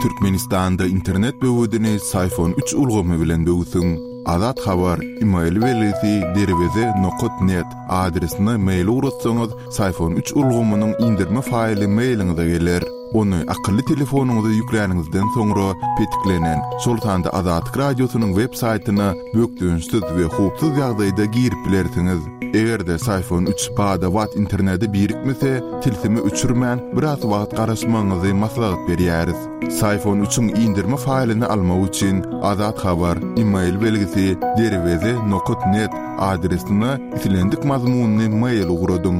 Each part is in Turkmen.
Türkmenistanda internet böwedini Syfon üç ulgamy bilen böwsüň. Azat Habar, email belgisi derweze nokat net adresine mail ugratsaňyz, Syfon üç ulgamynyň indirme faýly mailiňize geler. Ony akylly telefonyňyza ýükläniňizden soňra petiklenen, şol sanda Azatlyk Radiosynyň web saýtyna bökdençsiz we howpsuz ýagdaýda girip bilersiňiz. Eger-de Syfon üç bada-bat internete birikmese, tilsimi öçürmän, biraz wagt garaşmagyňyzy maslahat berýäris. Syfon üçiň indirme faýlyny almak üçin Azat Habar, email belgisi, derweze nokat net adresine islendik mazmunly mail ugradyň.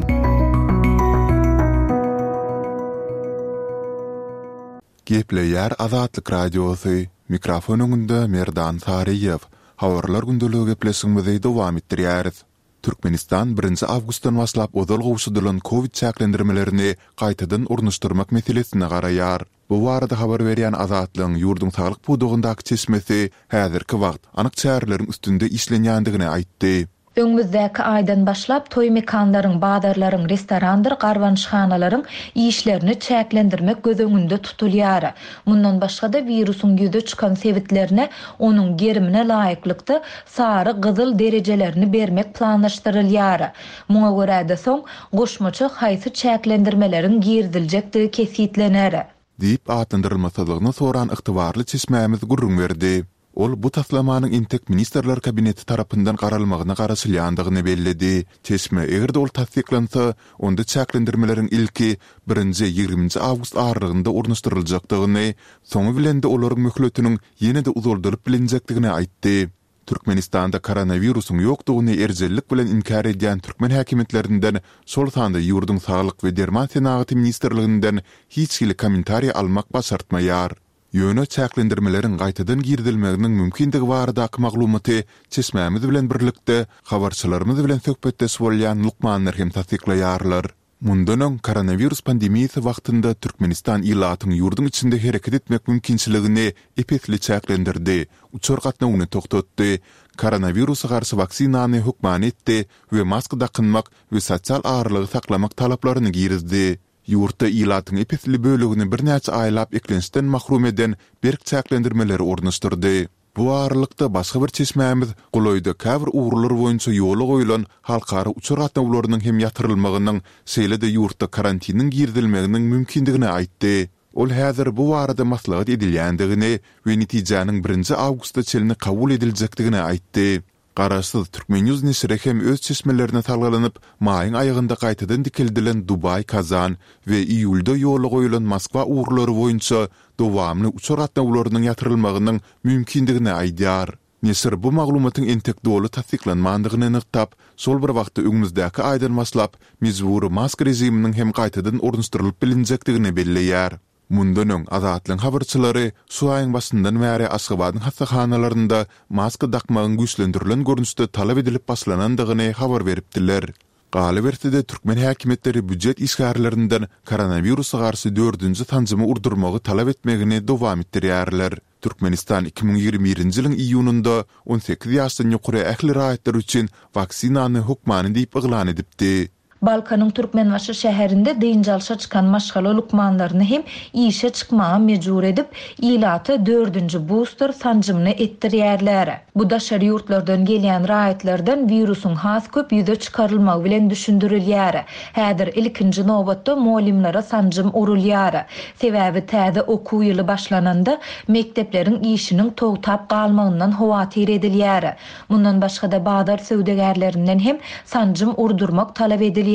Gepleýär Azatlyk Radiosy, mikrofon öňünde Merdan Saryýew. Habarlar gündeligi gepleşigimizi dowam etdirýäris. Türkmenistan birinji awgustdan başlap ozal gowşadylan kowid çäklendirmelerini gaýtadan ornaşdyrmak meselesine garaýar. Bu barada habar berýän Azatlygyň ýurduň saglyk pudagyndaky çeşmesi häzirki wagt anyk çäreleriň üstünde işlenýändigini aýtdy. Öňümizdäki aýdan başlap toý mekanlaryň, bazarlaryň, restorandyr garbanyşhanalaryň işlerini çäklendirmek göz öňünde tutulýar. Mundan başga-da, wirusyň ýüze çykan sebitlerine onuň gerimine laýyklykda sary, gyzyl derejelerini bermek planlaşdyrylýar. Muňa görä-de soň goşmaça haýsy çäklendirmeleriň giriziljekdigi kesgitlener. Diýip atlandyrylmasyzlygyny soran ygtybarly çeşmämiz gürrüň berdi. Ol bu taslamanyň entek Ministrler Kabineti tarapyndan garalmagyna garaşylýandygyny belledi. Çeşme eger-de ol tassyklansa, onda çäklendirmeleriň ilki birinji ýigriminji awgust aralygynda ornaşdyryljakdygyny, soňy bilen-de olaryň möhletiniň ýene-de uzaldylyp bilinjekdigini aýtdy. Türkmenistanda koronawirusyň ýokdugyny erjellik bilen inkär edýän türkmen häkimiýetlerinden, şol sanda ýurduň Saglyk we derman senagaty ministrliginden hiç hili kommentariý almak başartmaýar. Ýöne çäklendirmeleriň gaýtadan girizilmeginiň mümkindigi baradaky maglumaty çeşmämiz bilen birlikde habarçylarymyz bilen söhbetdeş bolýan lukmanlar hem tassyklaýarlar. Mundan öň, koronawirus pandemiýasy wagtynda Türkmenistan ilatyň ýurduň içinde hereket etmek mümkinçiligini ep-esli çäklendirdi, uçar gatnawyny togtatdy, koronawirusa garşy waksinany hökmany etdi we maska dakynmak we sosial aralygy saklamak talaplaryny girizdi. Ýurtda ilatyň ep-esli bölegini birnäçe aýlap eklençden mahrum eden berk çäklendirmeleri ornaşdyrdy. Bu aralykda, başga bir çeşmämiz golaýda käbir ugurlar boýunça ýola goýlan halkara uçar gatnawlarynyň hem ýatyrylmagynyň, şeýle-de ýurtda karantiniň girizilmeginiň mümkindigini aýtdy. Ol häzir bu barada maslahat edilýändigini we netijäniň birinji awgusta çenli kabul ediljekdigini aýtdy. Garaşsyz Turkmen. News neşiri hem öz çeşmelerine salgylanyp, maýyň aýagynda gaýtadan dikeldilen Dubaý-Kazan we iýulda ýola goýulan Moskwa ugurlary boýunça dowamly uçar gatnawlarynyň ýatyrylmagynyň mümkindigini aýdýar. Neşir bu maglumatyň entek doly tassyklanmandygyny nygtap, şol bir wagtda öňümizdäki aýdan başlap mejbury maska režiminiň hem gaýtadan ornaşdyrylyp bilinjekdigini belleýär. Mundan öň, Azatlygyň habarçylary şu aýyň başyndan bäri Aşgabadyň hassahanalarynda maska dakmagyň güýçlendirilen görnüşde talap edilip başlanandygyny habar beripdiler. Galyberse-de, türkmen häkimiýetleri býujet işgärlerinden koronawirusa garşy dördünji sanjymy urdurmagy talap etmegini dowam etdirýärler. Türkmenistan 2021-nji ýylyň iýunynda 18 ýaşdan ýokary ähli raýatlar üçin waksinany hökmany diýip yglan edipdi. Balkanyň Türkmenbaşy şäherinde dynç alşa çykan maşgala lukmanlaryny hem işe çykmaga mejbur edip, ilata dördünji buster sanjymyny etdirýärler. Bu daşary ýurtlardan gelýän raýatlardan wirusyň has köp ýüze çykarylmagy bilen düşündirilýär. Häzir ilkinji nobatda mugallymlara sanjym urulýar. Sebäbi täze okuw ýyly başlananda mekdepleriň işiniň togtap galmagyndan howatyr edilýär. Mundan başga-da bazar söwdagärlerinden hem sanjym urdurmak talap edilýär.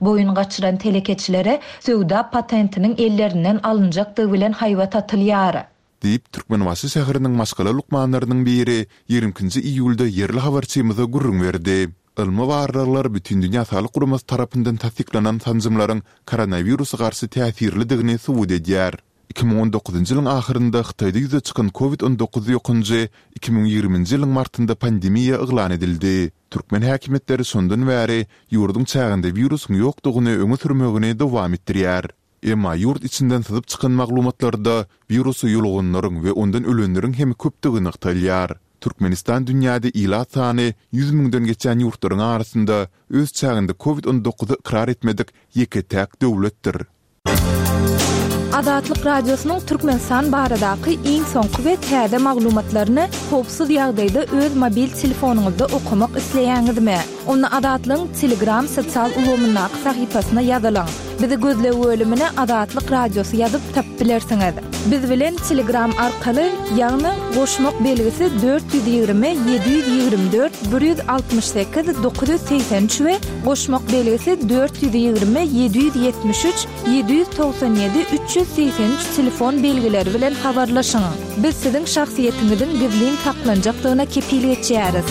Boýun gaçyran telekeçilere söwda patentiniň ellerinden alynjakdygy bilen haýbat atylýar. Diýip, Türkmenbaşy şäheriniň maşgala lukmanlarynyň biri ýigrimi ikinji iýulda ýerli habarçymyza gürrüň berdi. Ylmy barlaglar Bütindünýä Saglyk Guramasy tarapyndan tassyklanan sanjymlaryň koronawirusa garşy täsirlidigini subut edýär. 2019-njy ýylyň ahyrynda Hytaýda ýüze çykan Covid 19 ýokanjy 2020-nji ýylyň martynda pandemiýa yglan edildi. Türkmen häkimiýetleri şondan bäri ýurduň çäginde wirusyň ýokdugyny öňe sürmegini dowam etdirýär. Emma ýurt içinden syzyp çykan maglumatlarda wirusa ýoluganlaryň we ondan ölenleriň hem köpdügi nygtalýar. Türkmenistan dünýäde ilat sany 100 müňden geçýän ýurtlaryň arasynda öz çäginde Covid 19-y ykrar etmedik ýeke-täk döwletdir. Azatlyk Radiosynyň Türkmenistan baradaky iň soňky we täze maglumatlaryny howpsuz ýagdaýda öz mobil telefonyňyzda okamak isleýäňizmi? Onda Azatlygyň Telegram sosial ulgamyndaky sahypasyna ýazylyň. Bizi gözleg bölümine Azatlyk Radiosy ýazyp tapyp bilersiňiz. Biz bilen Telegram arkaly, ýagny goşmak belgisi 420 724 168 983 we goşmak belgisi 420 773 797 383 telefon belgileri bilen habarlaşyň. Biz siziň şahsyýetiňiziň gizlin saklanjakdygyna kepil geçýäris.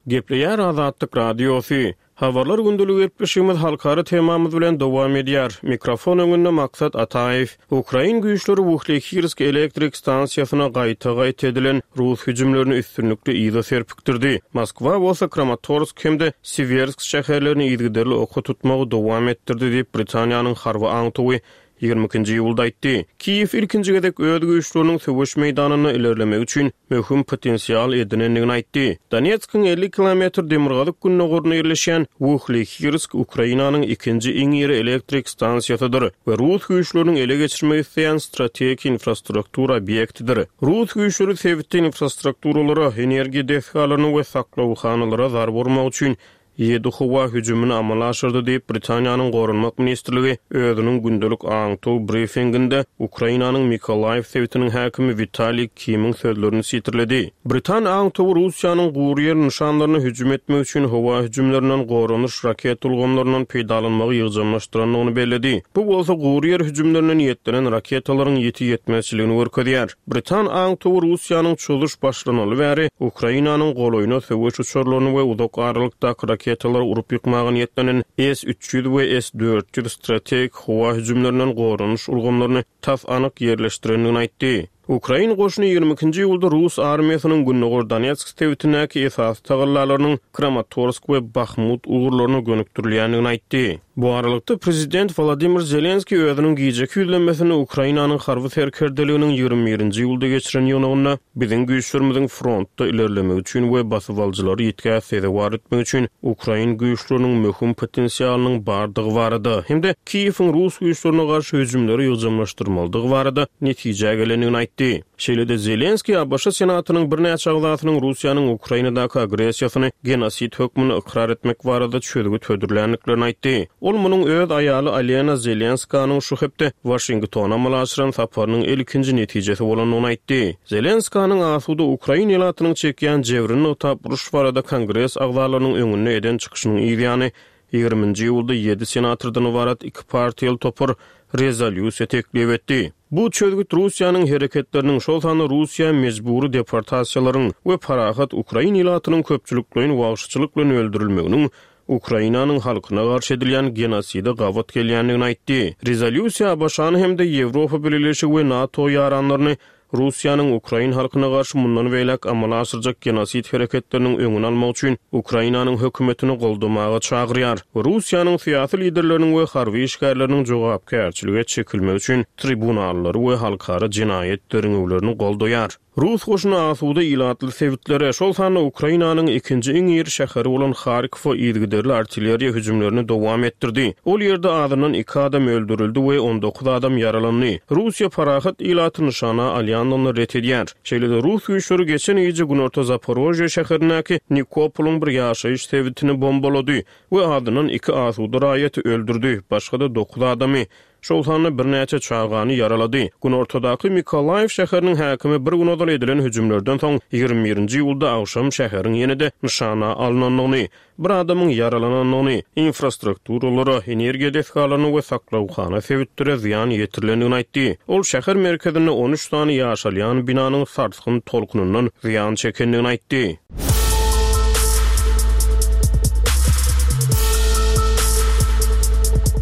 Gepleýär Azatlyk Radiosy. Habarlar gündeligi gepleşigimiz halkara temamyz bilen dowam edýär. Mikrofon öňünde Maksat Ataýew. Ukrain güýçleri Wuhlehirsk elektrik stansiýasyna gaýta-gaýta edilen rus hüjümlerini üstünlikli yza serpikdirdi. Moskwa bolsa Kramatorsk hem-de Siwersk şäherlerini yzygiderli oka tutmagy dowam etdirdi diýip, Britaniýanyň harby aňtawy 22-nji iýulda aýtdy. Kiýew ilkinji gezek öz güýçleriniň söweş meýdanynda ilerlemegi üçin möhüm potensial edinendigini aýtdy. Donetskiň 50 kilometr demirgazyk-gündogarynda ýerleşýän Wuhlehirsk Ukrainanyň ikinji iň iri elektrik stansiýasydyr we rus güýçleriniň ele geçirmek isleýän strategik infrastruktura obýektidir. Rus güýçleri sebitde infrastrukturalara, energiýa desgalaryna we saklawhanalara zarba urmak üçin Ýedi howa hüjümini amala aşyrdy diýip, Britaniýanyň Goranmak ministrligi özüniň gündelik aňtaw brifinginde Ukrainanyň Mykolaýiw sebitiniň häkimi Witaliý Kimiň sözlerini sitirledi. Britan aňtawy Russiýanyň gury ýer nyşanlaryna hüjüm etmek üçin howa hüjümlerinden goranyş raketa ulgamlaryndan peýdalanmagy ýygjamlaşdyrandygyny belledi. Bu bolsa gury ýer hüjümlerine niýetlenen raketalaryň ýiti ýetmezçiligini görkezýär. Britan aňtawy Russiýanyň çozuş başlanaly bäri Ukrainanyň golaýyna söweş uçarlaryny we uzak aralykdaky raketalary urup ýykmaga niýetlenen S 300 we S 400 strategik howa hüjümlerinden goranyş ulgamlaryny tas anyk ýerleşdirendigini aýtdy. Ukrain goşuny ýigrimi ikinji iýulda rus armiýasynyň gündogar Donetsk sebitindäki esasy tagallalarynyň Kramatorsk we Bahmut ugurlaryna gönükdirilýändigini aýtdy. Bu aralykda, prezident Wolodymyr Zelenskiý özüniň gijeki ýüzlenmesinde Ukrainanyň harby serkerdeliginiň ýigrimi birinji iýulda geçiren ýygnagynda biziň güýçlerimiziň frontda ilerlemegi üçin we basybalyjylary ýitgä sezewar etmek üçin ukrain güýçleriniň möhüm potensialynyň bardygy barada hem-de Kiýewiň rus güýçlerine garşy hüjümleri ýygjamlaşdyrmalydygy barada netijä gelendigini aýtdy. Şeýle-de Zelenskiý ABŞ Senatynyň birnäçe agzasynyň Russiýanyň Ukrainadaky agressiýasyny genosid hökmünde ykrar etmek barada çözgüt hödürländiklerini aýtdy. Ol munuň öz aýaly Olena Zelenskanyň şu hepde Waşingtona amala aşyran saparynyň ilkinji netijesi bolandygyny aýtdy. Zelenskanyň asuda ukrain ilatynyň çekýän jebrini nygtap uruş barada Kongres agzalarynyň öňünde eden çykyşynyň yzýany ýigriminji iýulda ýedi senatordan ybarat iki partiýaly topar rezolýusiýa teklip etdi. Bu çözgüt Russiýanyň hereketleriniň, şol sanda Russiýa mejbury deportasiýalaryň we parahat ukrain ilatynyň köpçülikleýin wagşyçylyk bilen öldürilmeginiň Ukrainanyň halkyna garşy edilýän genoside gabat gelýändigini aýtdy. Rezolýusiýa ABŞ-ny hem-de Ýewropa Bileleşigi we NATO ýaranlaryny Russiýanyň ukrain halkyna garşy mundan beýläk amala aşyrjak genosid hereketleriniň öňüni almak üçin Ukrainanyň hökümetini goldamaga çagyrýar we Russiýanyň syýasy liderleriniň we harby işgärleriniň jogapkärçilige çekilmegi üçin tribunallary we halkara jenaýat derňewlerini goldaýar. Rus goşuny asuda ilatly sebitlere, şol sanda Ukrainanyň ikinji iň iri şäheri bolan Harkowa yzygiderli artilleriýa hüjümlerini dowam etdirdi. Ol ýerde azyndan iki adam öldürildi we 19 adam ýaralandy. Russiýa parahat ilaty nyşana alýandygyny ret edýär. Şeýle-de rus güýçleri geçen gije günorta Zaporožýe şäherindäki Nikopolyň bir ýaşaýyş sebitini bombalady we azyndan iki asuda raýaty öldürdi, başga-da dokuz adamy, şol sanda birnäçe çagany ýaralady. Günortadaky Mykolaýiw şäheriniň häkimi bir gün ozal edilen hüjümlerden soň ýigrimi birinji iýulda agşam şäheriň ýene-de nyşana alnandygyny, bir adamyň ýaralanandygyny, infrastrukturalara, energiýa desgalaryna we saklawhana sebitlere zyýan ýetirilendigini aýtdy. Ol şäher merkezinde on üç sany ýaşalýan binanyň sarsgyn tolkunyndan zyýan çekendigini aýtdy.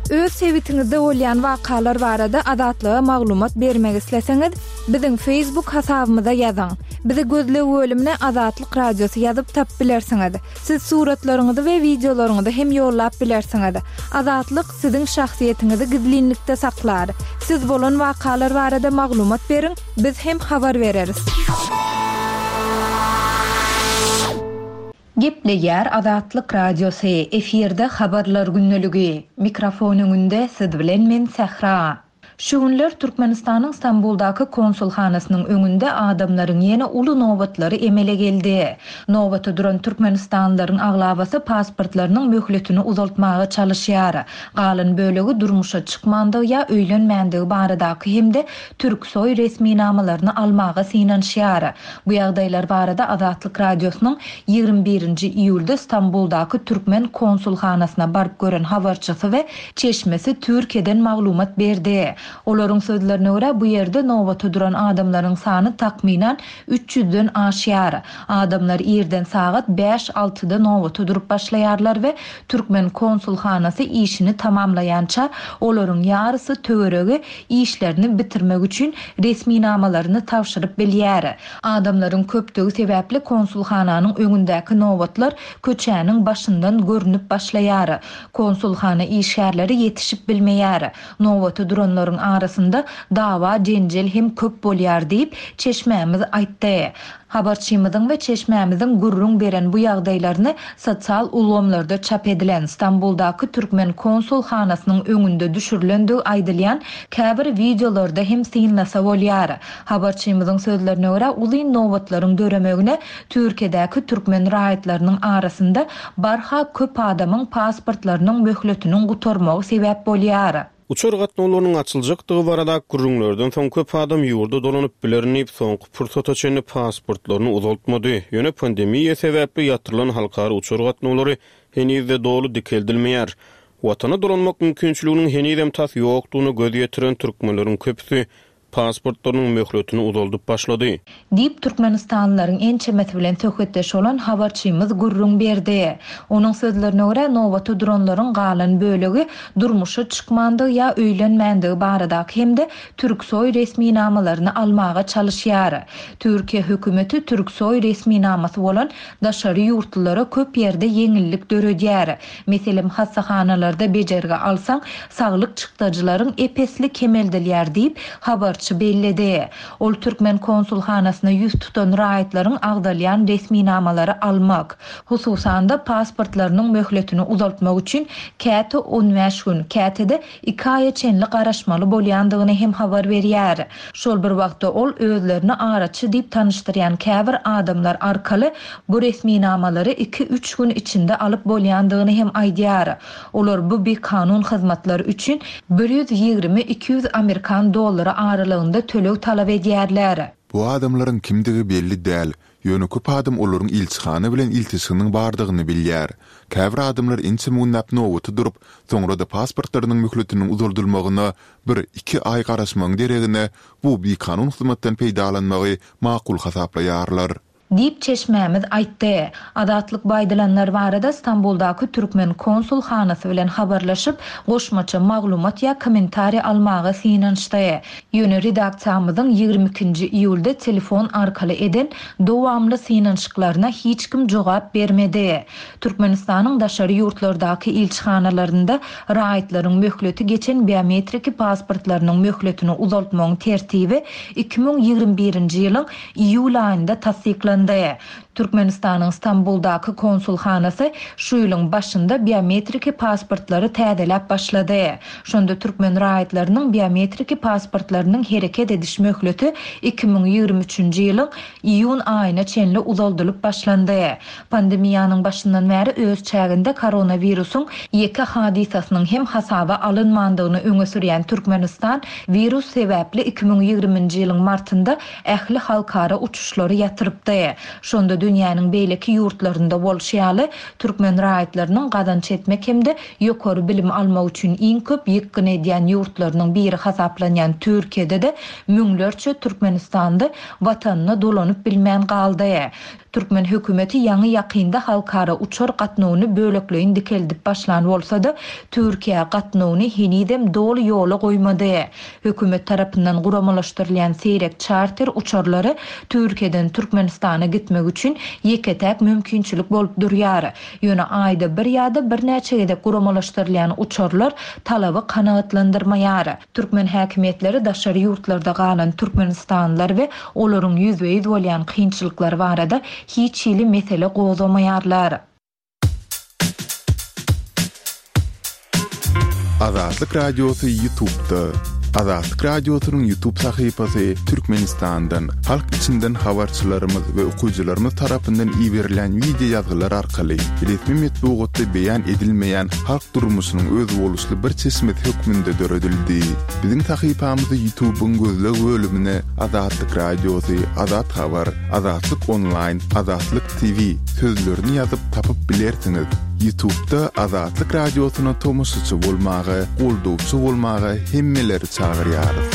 Öz sebitiňizde bolýan wakalar barada Azatlyga maglumat bermek isleseňiz, biziň Facebook hasabymyza ýazyň. Bizi gözleg bölümine Azatlyk Radiosy ýazyp tapyp bilersiňiz. Siz suratlaryňyzy we wideolaryňyzy hem ýollap bilersiňiz. Azatlyk siziň şahsyýetiňizi gizlinlikde saklar. Siz bolan wakalar barada maglumat beriň, biz hem habar bereris. Gepleýär Azatlyk Radiosy, efirde Habarlar gündeligi. Mikrofon öňünde siz bilen men Sähra. Şu günler Türkmenistanyň Stambuldaky konsulhanasynyň öňünde adamlaryň ýene uly nobatlary emele geldi. Nobata duran türkmenistanlylaryň aglabasy pasportlarynyň möhletini uzaltmaga çalyşýar. Galan bölegi durmuşa çykmandygy ýa öýlenmändigi baradaky hem-de Türksoý resminamalaryny almaga synanyşýar. Bu ýagdaýlar barada Azatlyk Radiosynyň 21 nji iýulda Stambuldaky türkmen konsulhanasyna baryp gören habarçysy we çeşmesi Türkiýeden maglumat berdi. Olaryň sözlerine görä, bu ýerde nobata duran adamlaryň sany takmynan üç ýüzden aşýar. Adamlar irden sagat bäş-altyda nobata durup başlaýarlar we türkmen konsulhanasy işini tamamlaýança olaryň ýarysy töweregi işlerini bitirmek üçin resminamalaryny tabşyryp bilýär. Adamlaryň köpdügi sebäpli konsulhananyň öňündäki nobatlar köçäniň başyndan görnüp başlaýar. Konsulhana işgärleri ýetişip bilmeýär. Nobata duranlaryň arasynda dawa-jenjel hem köp bolýar diýip, çeşmämiz aýtdy. Habarçymyzyň we çeşmämiziň gürrüň beren bu ýagdaýlaryny sosial ulgamlarda çap edilen, Stambuldaky türkmen konsulhanasynyň öňünde düşürilendigi aýdylýan käbir wideolarda hem synlasa bolýar. Habarçymyzyň sözlerine görä, uzyn nobatlaryň döremegine Türkiýedäki türkmen raýatlarynyň arasynda barha köp adamyň pasportlarynyň möhletiniň gutarmagy sebäp bolýar. Uçar gatnawlarynyň açyljakdygy baradaky gürrüňlerden soň köp adam ýurda dolanyp bilerin diýip, soňky pursata çenli pasportlaryny uzaltmady. Ýöne pandemiýa sebäpli ýatyrylan halkara uçar gatnawlary heniz-de doly dikeldilmeýär. Watana dolanmak mümkinçiliginiň henizem tas ýokdugyna göz ýetiren türkmenleriň köpüsi pasportlarynyň möhletini uzaldyp başlady. Diýip, türkmenistanlylaryň ençemesi bilen söhbetdeş bolan habarçymyz gürrüň berdi. Onuň sözlerine görä, nobata duranlaryň galan bölegi durmuşa çykmandygy ýa öýlenmändigi baradaky hem-de Türksoý resminamalaryny almaga çalyşýar. Türkiýe hökümeti Türksoý resminamasy bolan daşary ýurtlulara köp ýerde ýeňillik döredýär. Meselem, hassahanalarda bejergi alsaň, saglyk çykdajylaryň ep-esli kemeldilýär diýip, habarçy belledi. Ol türkmen konsulhanasyna ýüz tutan raýatlaryň agzalýan resminamalary almak, hususan-da, pasportlarynyň möhletini uzaltmak üçin käte on bäş gün, käte-de iki aýa çenli garaşmaly bolýandygyny hem habar berýär. Şol bir wagtda ol özlerini araçy diýip tanyşdyrýan käbir adamlar arkaly bu resminamalary iki-üç gün içinde alyp bolýandygyny hem aýdýar. Olar bu bikanun hyzmatlar üçin 120-200 amerikan dollary aralygynda töleg talap edýärler. Bu adamlaryň kimdigi belli däl, ýöne köp adam olaryň ilçihana bilen ilteşiginiň bardygyny bilýär. Käbir adamlar ençeme günläp nobata durup, soňra-da pasportlarynyň möhletiniň uzaldylmagyna bir, iki aý garaşmagyň deregine bu bikanun hyzmatdan peýdalanmagy makul hasaplaýarlar. Diýip, çeşmämiz aýtdy. Azatlyk bu aýdylanlar barada Stambuldaky türkmen konsulhanasy bilen habarlaşyp, goşmaça maglumat ýa kommentariý almaga synanyşdy. Ýöne redaksiýamyzyň 22 nji iýulda telefon arkaly eden dowamly synanyşyklaryna hiç kim jogap bermedi. Türkmenistanyň daşary ýurtlardaky ilçihanalarynda raýatlaryň möhleti geçen biometriki pasportlarynyň möhletini uzaltmagyň tertibi 2021-nji ýylyň iýul aýynda tassyklandy. Türkmenistanyň Stambuldaky konsulhanasy şu ýylyň başynda biometriki pasportlary täzeläp başlady. Şonda türkmen raýatlarynyň biometriki pasportlarynyň hereket ediş möhleti 2023-nji ýylyň iýun aýyna çenli uzaldylyp başlandy. Pandemiýanyň başyndan bäri öz çäginde koronawirusyň ýeke hadysasynyň hem hasaba alynmandygyny öňe sürýän Türkmenistan wirus sebäpli 2020-nji ýylyň martynda ähli halkara uçuşlary ýatyrypdy. Şonda dünýäniň beýleki ýurtlarynda bolşy ýaly, türkmen raýatlarynyň gazanç etmek hem-de ýokary bilim almak üçin iň köp ýykgyn edýän ýurtlarynyň biri hasaplanýan Türkiýede-de müňlerçe türkmenistanly Watanyna dolanyp bilmän galdy. Türkmen hökümeti ýaňy-ýakynda halkara uçar gatnawyny bölekleýin dikeldip başlan bolsa-da, Türkiýä gatnawyny henizem doly ýola goýmady. Hökümet tarapyndan guramalaşdyrylýan seýrek çarter uçarlary Türkiýeden Türkmenistana gitmek üçin ýeke-täk mümkinçilik bolup durýar. Ýöne aýda bir ýa-da birnäçe gezek guramalaşdyrylýan uçarlar talaby kanagatlandyrmaýar. Türkmen häkimiýetleri daşary ýurtlarda galan türkmenistanlylar we olaryň ýüzbe-ýüz bolýan kynçylyklary barada hiç hili mesele gozgamaýarlar. Azatlyk Radiosy Ýutubda. Azatlyk Radiosynyň Ýutub sahypasy Türkmenistandan, halk içinden habarçylarymyz we okyjylarymyz tarapyndan iberilen wideo ýazgylar arkaly resmi metbugatda beýan edilmeýän halk durmuşynyň özboluşly bir çeşmesi hökmünde döredildi. Biziň sahypamyzy Ýutubyň gözleg bölümine Azatlyk Radiosy, Azat Habar, Azatlyk Onlaýn, Azatlyk TV sözlerini ýazyp tapyp bilersiňiz. Ýutubda Azatlyk Radiosyna tomaşaçy bolmaga, goldawçy bolmaga hemmeleri çagyrýarys.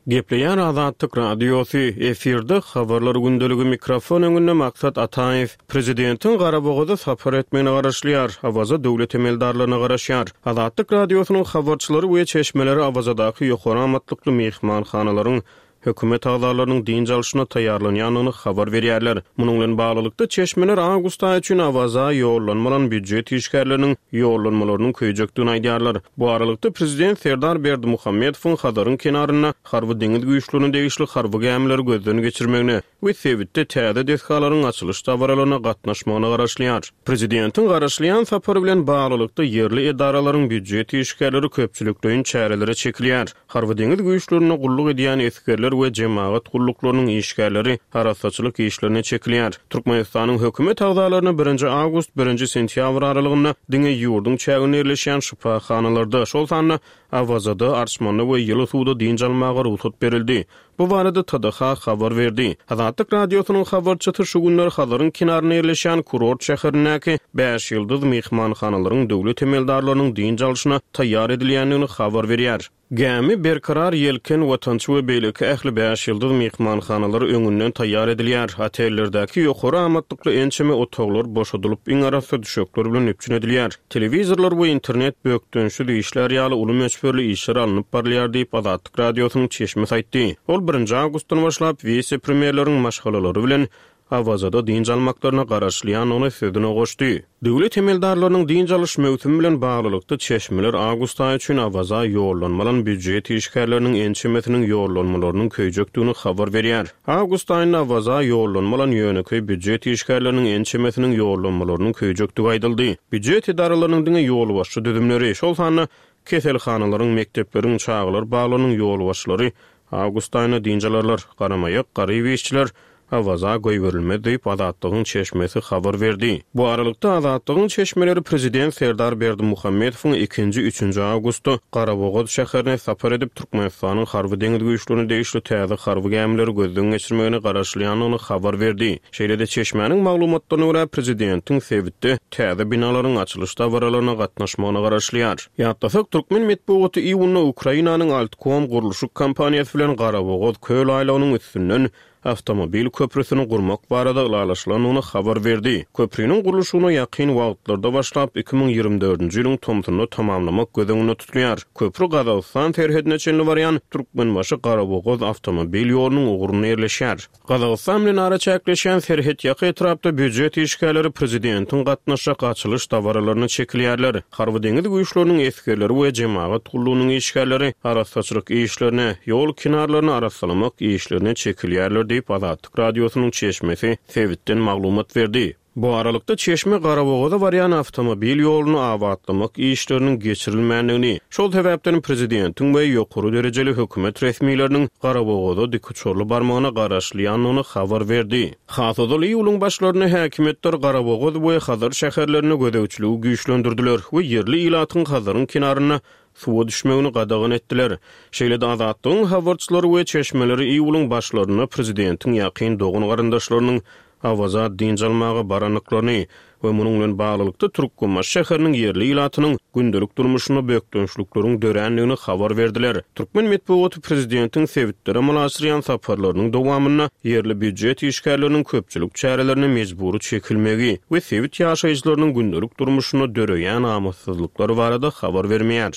Gepleýär Azatlyk Radiosy, efirde Habarlar gündeligi mikrofon öňünde Maksat Ataýew. Prezidentiň Garabogaza sapar etmegine garaşylýar, Awaza döwlet emeldarlaryna garaşýar. Azatlyk Radiosynyň habarçylary we çeşmeleri Awazadaky ýokary amatlykly myhmanhanalaryň hökümet agzalarynyň dynç alşyna taýýarlanýandygyny habar berýärler. Munuň bilen baglylykda, çeşmeler awgust aýy üçin Awaza ýollanma alan býujet işgärleriniň ýollanmalarynyň köýjekdigini aýdýarlar. Bu aralykda, prezident Serdar Berdimuhamedowyň Hazaryň kenarynda Harby-deňiz güýçlerine degişli harby gämileri gözden geçirmegine we sebitde täze desgalaryň açylyş dabaralaryna gatnaşmagyna garaşylýar. Prezidentiň garaşylýan sapary bilen baglylykda, ýerli edaralaryň býujet işgärleri köpçülikleýin çärelere çekilýär. Harby-deňiz güýçlerinde gulluk edýän esgerler we jemagat gulluklarynyň işgärleri arassaçylyk işlerine çekilýär. Türkmenistanyň hökümet agzalaryna birinji awgust, birinji sentýabr aralygynda diňe ýurduň çäginde ýerleşýän şypahanalarda, şol sanda Awazada, Arçmanda we ýyly suwda dynç almaga rugsat berildi. Bu barada TDH habar berdi. Azatlyk Radiosynyň habarçysy şu günler Hazaryň kenarynda ýerleşýän kurort şäherindäki bäş ýyldyz myhmanhanalaryň döwlet emeldarlarynyň dynç alşyna taýýar edilýändigini habar berýär. Gämi, Berkarar, Ýelken, Watançy we beýleki ähli bäş ýyldyz myhmanhanalar öňünden taýýar edilýär. Otellerdäki ýokary amatlykly ençeme otaglar boşadylyp, iň arassa düşekler bilen üpjün edilýär. Telewizorlar we internet bökdençsiz işlär ýaly uly möçberli işler alnyp barylýar diýip, Azatlyk Radiosynyň çeşmesi aýtdy. Ol birinji awgustdan başlap wise-premýerleriň maşgalalary bilen Awazada dynç almaklaryna garaşylýandygyny sözüne goşdy. Döwlet emeldarlarynyň dynç alyş möwsümi bilen baglylykda çeşmeler awgust aýy üçin Awaza ýollanma alan býujet işgärleriniň ençemesiniň ýollanmalarynyň köýjekdigini habar berýär. Awgust aýynda Awaza ýollanma alan ýönekeý býujet işgärleriniň ençemesiniň ýollanmalarynyň köýjekdigi aýdyldy. Býujet edaralarynyň diňe ýolbaşçy düzümleri, şol sanda keselhanalaryň, mekdepleriň, çagalar baglarynyň ýolbaşçylary awgust aýynda dynç alarlar. Garamaýak, garyp işçiler Awaza goýberilmez diýip, Azatlygyň çeşmesi habar berdi. Bu aralykda, Azatlygyň çeşmeleri prezident Serdar Berdimuhamedowyň ikinji, üçünji awgustda Garabogaz şäherine sapar edip, Türkmenistanyň Harby-deňiz güýçlerine degişli täze harby gämileri gözden geçirmegine garaşylýandygyny habar berdi. Şeýle-de, çeşmäniň maglumatlaryna görä, prezidentiň sebitde täze binalaryň açylyş dabaralaryna gatnaşmagyna garaşylýar. Ýatlasak, türkmen metbugaty iýunda Ukrainanyň Altkom gurluşyk kompaniýasy bilen Garabogaz köl aýlagynyň üstünden awtomobil köprüsini gurmak barada ylalaşylandygyny habar berdi. Köpriniň gurluşygyna ýakyn wagtlarda başlap, 2024-nji ýylyň tomsunda tamamlamak göz öňünde tutulýar. Köpri Gazagystan serhedine çenli barýan Türkmenbaşy-Garabogaz awtomobil ýolunyň ugrunda ýerleşýär. Gazagystan bilen araçäkleşýän serhetýaka etrapda býujet işgärleri prezidentiň gatnaşjak açylyş dabaralaryna çekilýärler. Harby-deňiz güýçleriniň esgerleri we jemagat gullugynyň işgärleri arassaçylyk işlerine, ýol kenarlaryny arassalamak işlerine çekilýärler diýip, Azatlyk Radiosynyň çeşmesi sebitden maglumat berdi. Bu aralykda, çeşme Garabogaza barýan awtomobil ýoluny abatlamak işleriniň geçirilmändigini, şol sebäpden prezidentiň we ýokary derejeli hökümet resmileriniň Garabogaza dikuçarly barmagyna garaşylýandygyny habar berdi. Has ozal iýulyň başlarynda häkimiýetler Garabogaz we Hazar şäherlerinde gözegçiligi güýçlendirdiler we ýerli ilatyň Hazaryň kenarynda suwa düşmegini gadagan etdiler. Şeýle-de Azatlygyň habarçylary we çeşmeleri iýulyň başlarynda prezidentiň ýakyn dogan-garyndaşlarynyň Awaza dynç almaga barandyklaryny, we munuň bilen baglylykda Türkmenbaşy şäheriniň ýerli ilatynyň gündelik durmuşynda bökdençlikleriň dörändigini habar berdiler. Türkmen metbugaty prezidentiň sebitlere amala aşyrýan saparlarynyň dowamynda ýerli býujet işgärleriniň köpçülik çärelerine mejbury çekilmegi we sebit ýaşaýjylarynyň gündelik durmuşynda döreýän amatsyzlyklar barada habar bermeýär.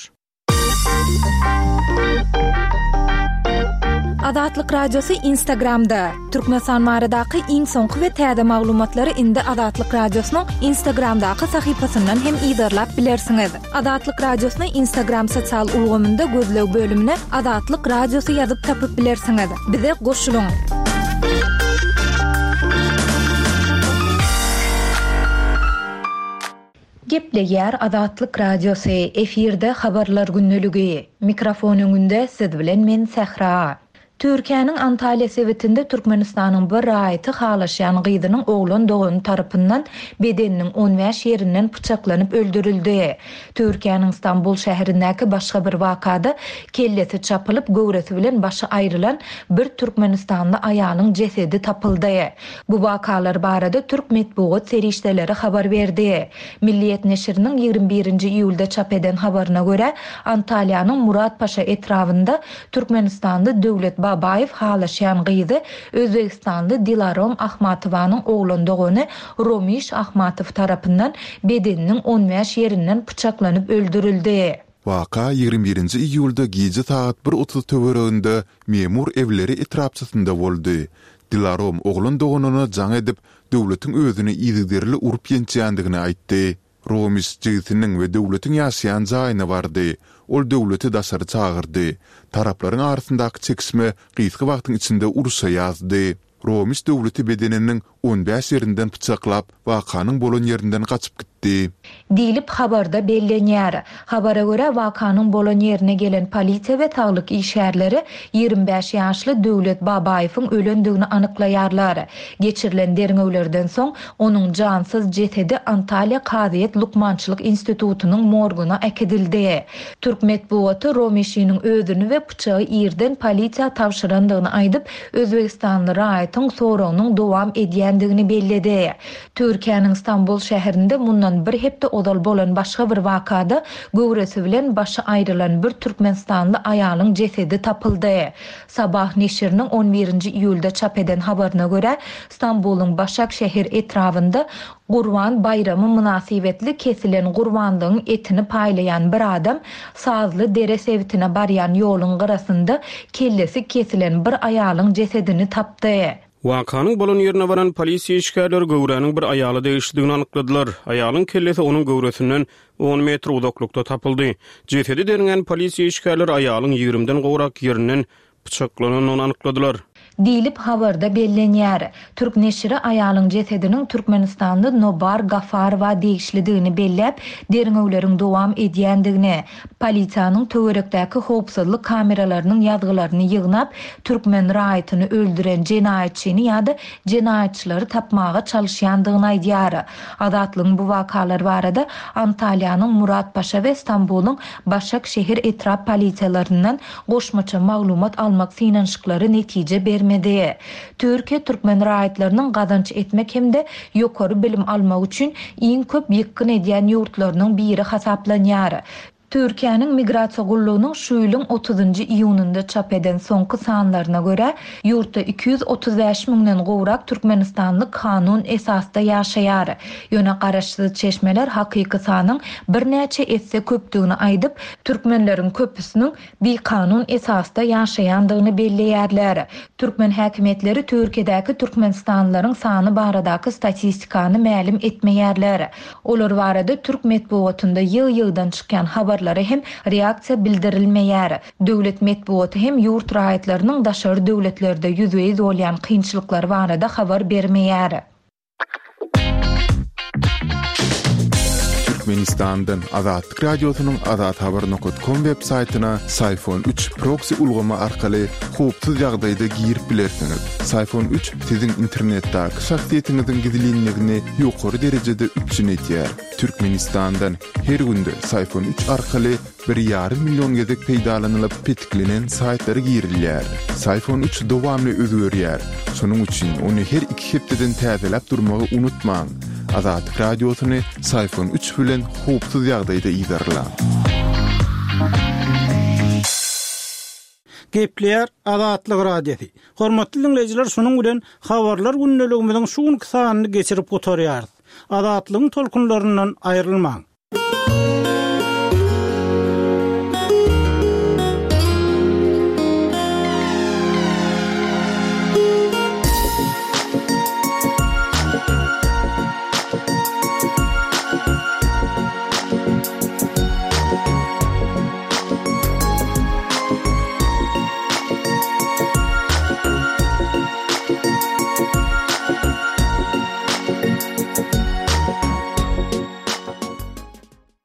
Azatlyk Radiosy Instagramda, Türkmenistan baradaky iň soňky we täze maglumatlary indi Azatlyk Radiosynyň Instagramdaky sahypasyndan hem yzarlap bilersiňiz. Azatlyk Radiosyny Instagram sosial ulgamynda gözleg bölümine Azatlyk Radiosy ýazyp tapyp bilersiňiz. Bize goşulyň! Gepleýär Azatlyk Radiosy, efirde Habarlar gündeligi. Mikrofon öňünde siz bilen men Sähra. Türkiýäniň Antalýa sebitinde Türkmenistanyň bir raýaty halaşýan gyzynyň oglan dogany tarapyndan bedeniniň on bäş ýerinden pyçaklanyp öldürildi. Türkiýäniň Stambul şäherindäki başga bir wakada kellesi çapylyp, göwresi bilen başy aýrylan bir türkmenistanly aýalyň jesedi tapyldy. Bu wakalar barada türk metbugat serişdeleri habar berdi. Milliýet neşiriniň 21 nji iýulda çap eden habaryna görä, Antalýanyň Muratpaşa etrabynda türkmenistanly Döwlet Babaýew halaşýan gyzy özbegistanly Dilarom Ahmatowanyň oglan dogany Romiş Ahmatow tarapyndan bedeniniň on bäş ýerinden pyçaklanyp öldürildi. Waka 21 nji iýulda gije sagat bir otuz töwereginde Memur Ewleri etrapçasynda boldy. Dilarom oglan doganyna jaň edip, Döwletiň özüni yzygiderli urup-ýençýändigini aýtdy. Romiş jigisiniň we Döwletiň ýaşaýan jaýyna bardy. Ol Döwleti daşary çagyrdy. Taraplaryň arasyndaky çekişme gysga wagtyň içinde urşa ýazdy. Romiş Döwleti bedeniniň on bäş ýerinden pyçaklap, wakanyň bolan ýerinden gaçyp gitdi. Diýlip, habarda bellenýär. Habara görä, wakanyň bolan ýerine gelen polisiýa we saglyk işgärleri 25 ýaşly Döwlet Babaýewiň ölendigini anyklaýarlar. Geçirilen derňewlerden soň, onuň jansyz jesedi Antalýa kazyýet lukmançylyk institutynyň morguna äkidildi. Türk metbugaty Romişiniň özüni we pyçagy irden polisiýa tabşyrandygyny aýdyp, özbegistanly raýatyň soragynyň dowam edýändigini belledi. Türkiýäniň Stambul şäherinde mundan bir hepde ozal bolan başga bir wakada göwresi bilen başy aýrylan bir türkmenistanly aýalyň jesedi tapyldy. Sabah neşiriniň on birinji iýulda çap eden habaryna görä, Stambulyň Başakşehir etrabynda Gurban baýramy mynasybetli kesilen gurbanlygyň etini paýlaýan bir adam Sazly dere sebitine barýan ýoluň gyrasynda kellesi kesilen bir aýalyň jesedini tapdy. Wakanyň bolan ýerine baran polisiýa işgärleri göwräniň bir aýala degişlidigini anykladylar. Aýalyň kellesi onuň göwresinden on metr uzaklykda tapyldy. Jesedi derňän polisiýa işgärleri aýalyň ýigrimden gowrak ýerinden pyçaklanandygyny anykladylar. Diýlip, habarda bellenýär. Türk neşiri aýalyň jesediniň türkmenistanly Nobar Gafarowa degişlidigini belläp, derňewleriň dowam edýändigini, polisiýanyň töwerekdäki howpsuzlyk kameralarynyň ýazgylaryny ýygnap, türkmen raýatyny öldüren jenaýatçyny ýa-da jenaýatçylary tapmaga çalyşýandygyny aýdýar. Azatlygyň bu wakalar barada Antalýanyň Muratpaşa we Stambulyň Başakşehir etrap polisiýalaryndan goşmaça maglumat almak synanyşyklary netije bermedi. Türkiýe türkmen raýatlarynyň gazanç etmek hem-de ýokary bilim almak üçin iň köp ýykgyn edýän ýurtlarynyň biri hasaplanýar. Türkiýäniň Migrasiýa gullugynyň şu ýylyň otuzynjy iýunynda çap eden soňky sanlaryna görä, ýurtda 235 müňden gowrak türkmenistanly kanun esasda ýaşaýar. Ýöne garaşsyz çeşmeler hakyky sanyň birnäçe esse köpdügini aýdyp, türkmenleriň köpüsiniň bikanun esasda ýaşaýandygyny belleýärler. Türkmen häkimiýetleri Türkiýedäki türkmenistanlylaryň sany baradaky statistikany mälim etmeýärler. Olar barada türk metbugatynda ýygy-ýygydan çykýan habarlara hem reaksiýa bildirilmeýär. Döwlet metbugaty hem ýurt raýatlarynyň daşary döwletlerde ýüzbe-ýüz bolýan kynçylyklary barada habar bermeýär. Türkmenistandan Azatlyk Radiosynyň Azathabar nokat kom web saýtyna Syfon üç proksi ulgamy arkaly howpsuz ýagdaýda girip bilersiňiz. Syfon üç siziň internetdäki şahsyýetiňiziň gizlinligini ýokary derejede üpjün edýär. Türkmenistandan her günde Syfon üç arkaly bir ýarym million gezek peýdalanylyp petiklenen saýtlara girilýär. Syfon üç dowamly özgerýär. Şonuň üçin ony her iki hepdeden täzeläp durmagy unutmaň. Azatlyk Radiosyny Syfon üç bilen howpsuz ýagdaýda yzarlaň. Gepleýär Azatlyk Radiosy. Hormatly diňleýjiler şunuň bilen Habarlar gündeligimiziň şu günki sanyny geçirip gutarýarys. Azatlygyň tolkunlaryndan aýrylmaň.